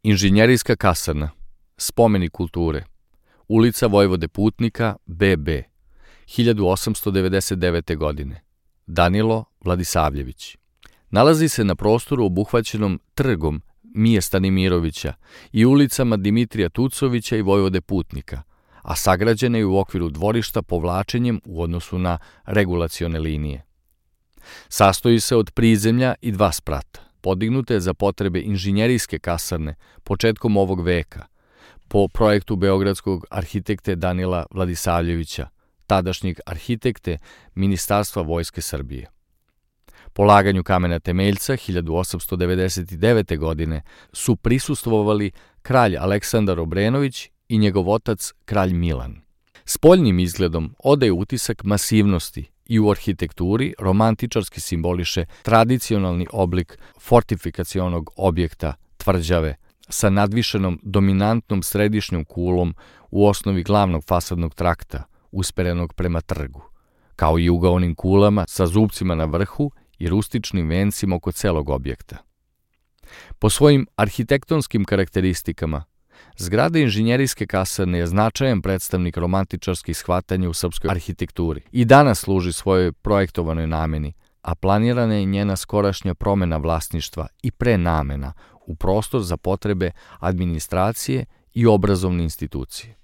Inženjerijska kasarna, spomenik kulture, ulica Vojvode Putnika, BB, 1899. godine. Danilo Vladisavljević. Nalazi se na prostoru obuhvaćenom trgom Mije Stanimirovića i ulicama Dimitrija Tucovića i Vojvode Putnika, a sagrađena je u okviru dvorišta povlačenjem u odnosu na regulacione linije. Sastoji se od prizemlja i 2 sprata, podignute za potrebe inženjerijske kasarne početkom ovog veka, po projektu beogradskog arhitekte Danila Vladisavljevića, tadašnjeg arhitekte Ministarstva Vojske Srbije. Polaganju kamena temeljca 1899. godine su prisustvovali kralj Aleksandar Obrenović i njegov otac kralj Milan. Spoljnim izgledom odaje utisak masivnosti i u arhitekturi romantičarski simboliše tradicionalni oblik fortifikacionog objekta, tvrđave, sa nadvišenom dominantnom središnjom kulom u osnovi glavnog fasadnog trakta, usperenog prema trgu, kao i ugaonim kulama sa zupcima na vrhu i rustičnim vencima oko celog objekta. Po svojim arhitektonskim karakteristikama, zgrada inženjerijske kasarne je značajan predstavnik romantičarskih shvatanja u srpskoj arhitekturi i danas služi svojoj projektovanoj nameni, a planirana je njena skorašnja promena vlasništva i prenamena u prostor za potrebe administracije i obrazovne institucije.